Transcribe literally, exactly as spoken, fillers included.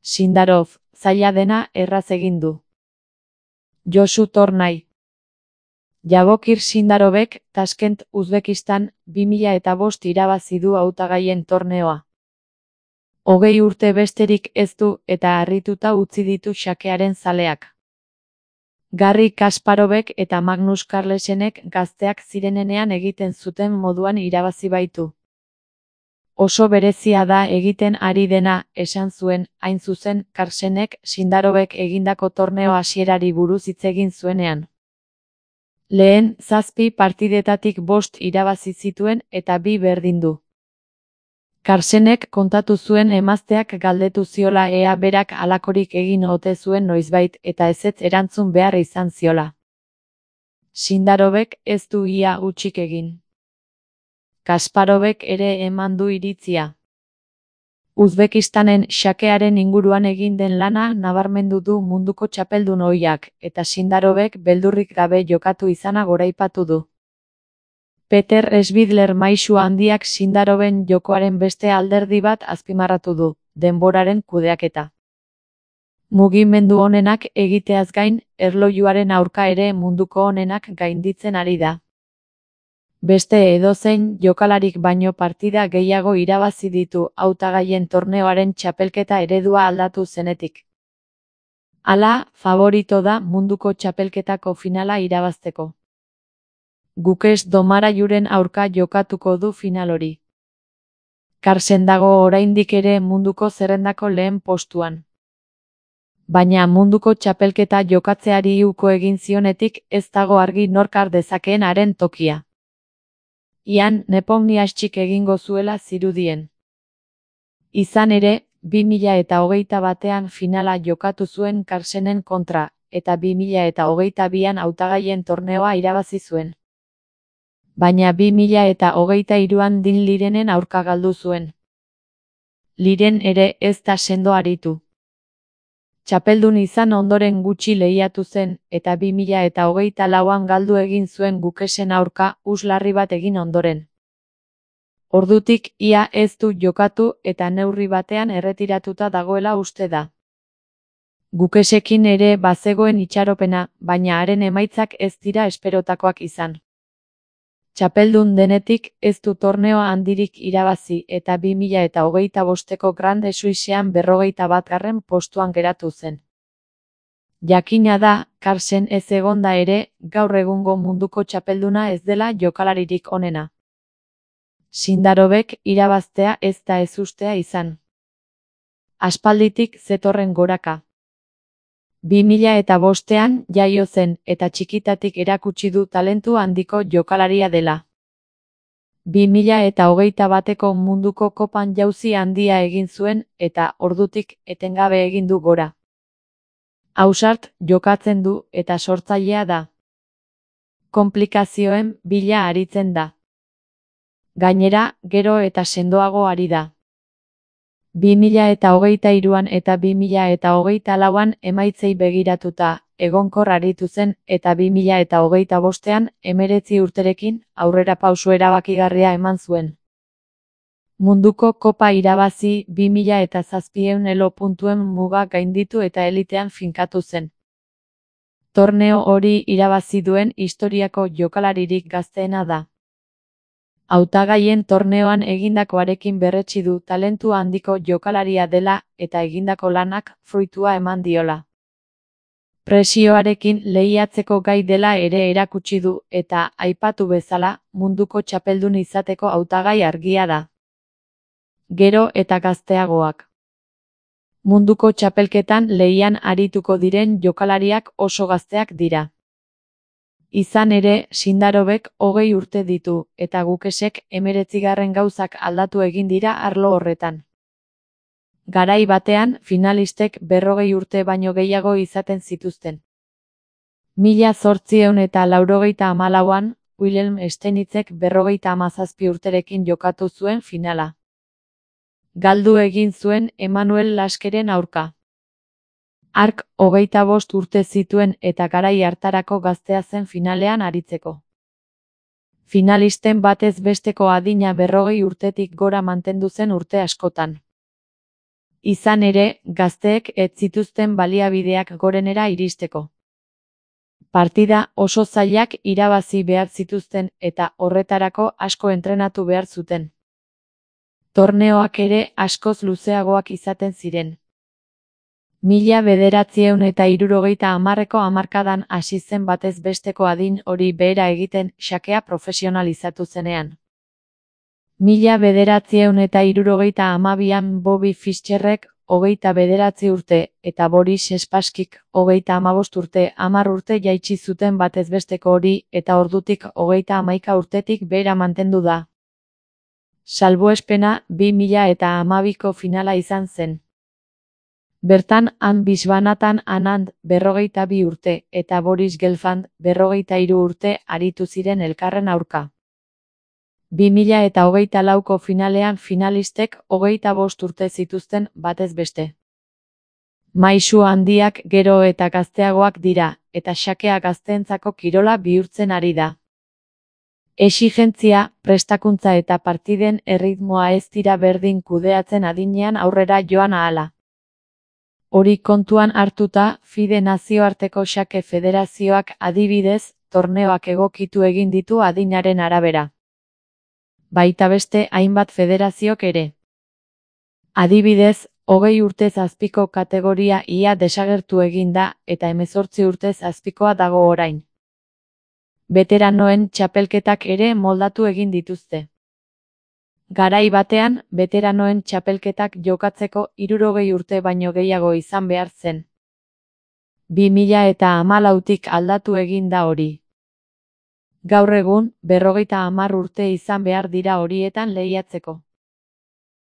Sindarov, zaila dena erraz egin du. Josu Tornai. Jabokir Sindarovek, Taskent, Uzbekistan, bi mila eta bost irabazi du hautagaien torneoa. Hogei urte besterik ez du eta harrituta utzi ditu xakearen zaleak. Garri Kasparovek eta Magnus Carlsenek gazteak zirenenean egiten zuten moduan irabazi baitu. Oso berezia da egiten ari dena, esan zuen, hain zuzen, Carlsenek Sindarovek egindako torneo hasierari buruz hitz egin zuenean. Lehen, zazpi partidetatik bost irabazi zituen eta bi berdin du. Carlsenek kontatu zuen emazteak galdetu ziola ea berak halakorik egin ote zuen noizbait eta ezetz erantzun behar izan ziola. Sindarovek ez du ia hutsik egin. Kasparovek ere eman du iritzia. Uzbekistanen xakearen inguruan egin den lana nabarmendu du munduko txapeldun ohiak, eta Sindarovek beldurrik gabe jokatu izana goraipatu du. Peter Schwindler maisu handiak Sindaroven jokoaren beste alderdi bat azpimarratu du, denboraren kudeaketa. Mugimendu onenak egiteaz gain, erlojuaren aurka ere munduko onenak gainditzen ari da. Beste edozein jokalarik baino partida gehiago irabazi ditu hautagaien torneoaren txapelketa eredua aldatu zenetik. Hala, favorito da munduko txapelketako finala irabazteko. Gukes Domarajuren aurka jokatuko du final hori. Carlsen dago oraindik ere munduko zerrendako lehen postuan. Baina munduko txapelketa jokatzeari uko egin zionetik ez dago argi nork har dezakeen haren tokia. Ian Nepomniachtchik egingo zuela zirudien. Izan ere, bi mila eta hogeita batean finala jokatu zuen Carlsenen kontra, eta bi mila eta hogeita bian hautagaien torneoa irabazi zuen. Baina bi mila eta hogeita hiruan Din Lirenen aurka galdu zuen. Liren ere ez da sendo aritu. Txapeldun izan ondoren gutxi lehiatu zen, eta bi mila eta hogeita lauan galdu egin zuen Gukesen aurka uslarri bat egin ondoren. Ordutik ia ez du jokatu eta neurri batean erretiratuta dagoela uste da. Gukesekin ere bazegoen itxaropena, baina haren emaitzak ez dira esperotakoak izan. Txapeldun denetik ez du torneo handirik irabazi eta bi mila eta hogeita bosteko Grande Suissean berrogeita batgarren postuan geratu zen. Jakina da, Carlsen ez egonda ere, gaur egungo munduko txapelduna ez dela jokalaririk onena. Sindarovek irabaztea ez da ezustea izan. Aspalditik zetorren goraka. bi mila eta bostean jaio zen eta txikitatik erakutsi du talentu handiko jokalaria dela. bi mila eta hogeita bateko munduko kopan jauzi handia egin zuen eta ordutik etengabe egin du gora. Ausart jokatzen du eta sortzailea da. Konplikazioen bila aritzen da. Gainera, gero eta sendoago ari da. bi mila eta hogeita hiruan eta bi mila eta hogeita lauan emaitzei begiratuta, egonkor aritu zen eta bi mila eta hogeita bostean hemeretzi urterekin aurrera pauso erabakigarria eman zuen. Munduko kopa irabazi bi mila eta zazpiehun elo puntuen muga gainditu eta elitean finkatu zen. Torneo hori irabazi duen historiako jokalaririk gazteena da. Hautagaien torneoan egindakoarekin berretsi du talentu handiko jokalaria dela eta egindako lanak fruitua eman diola. Presioarekin lehiatzeko gai dela ere erakutsi du eta, aipatu bezala, munduko txapeldun izateko hautagai argia da. Gero eta gazteagoak. Munduko txapelketan lehian arituko diren jokalariak oso gazteak dira. Izan ere, Sindarovek hogei urte ditu, eta Gukesek hemeretzigarren gauzak aldatu egin dira arlo horretan. Garai batean, finalistek berrogei urte baino gehiago izaten zituzten. Mila zortziehun eta laurogeita hamalauan, Wilhelm Steinitzek berrogeita hamazazpi urterekin jokatu zuen finala. Galdu egin zuen Emanuel Laskeren aurka. Hark hogeita bost urte zituen eta garai hartarako gaztea zen finalean aritzeko. Finalisten batez besteko adina berrogei urtetik gora mantendu zen urte askotan. Izan ere, gazteek ez zituzten baliabideak gorenera iristeko. Partida oso zailak irabazi behar zituzten eta horretarako asko entrenatu behar zuten. Torneoak ere askoz luzeagoak izaten ziren. Mila bederatziehun eta hirurogeita hamarreko hamarkadan hasi zen batez besteko adin hori behera egiten xakea profesionalizatu zenean. Mila bederatziehun eta hirurogeita hamabian Bobby Fischerrek hogeita bederatzi urte eta Boris Spasskyk hogeita hamabost urte hamar urte jaitsi zuten batez besteko hori eta ordutik hogeita hamaika urtetik behera mantendu da. Salbuespena bi mila eta hamabiko finala izan zen. Bertan Han Viswanathan Anand berrogeita bi urte eta Boris Gelfand berrogeita hiru urte aritu ziren elkarren aurka. bi mila eta hogeita lauko finalean finalistek hogeita bost urte zituzten batez beste. Maisu handiak gero eta gazteagoak dira, eta xakea gazteentzako kirola bihurtzen ari da. Exigentzia, prestakuntza eta partiden erritmoa ez dira berdin kudeatzen adinean aurrera joan ahala. Hori kontuan hartuta, FIDE nazioarteko xake federazioak adibidez, torneoak egokitu egin ditu adinaren arabera. Baita beste hainbat federaziok ere. Adibidez, hogei urtez azpiko kategoria ia desagertu egin da eta hemezortzi urtez azpikoa dago orain. Beteranoen txapelketak ere moldatu egin dituzte. Garai batean, beteranoen txapelketak jokatzeko hirurogei urte baino gehiago izan behar zen. bi mila eta hamalautik aldatu egin da hori. Gaur egun, berrogeita hamar urte izan behar dira horietan lehiatzeko.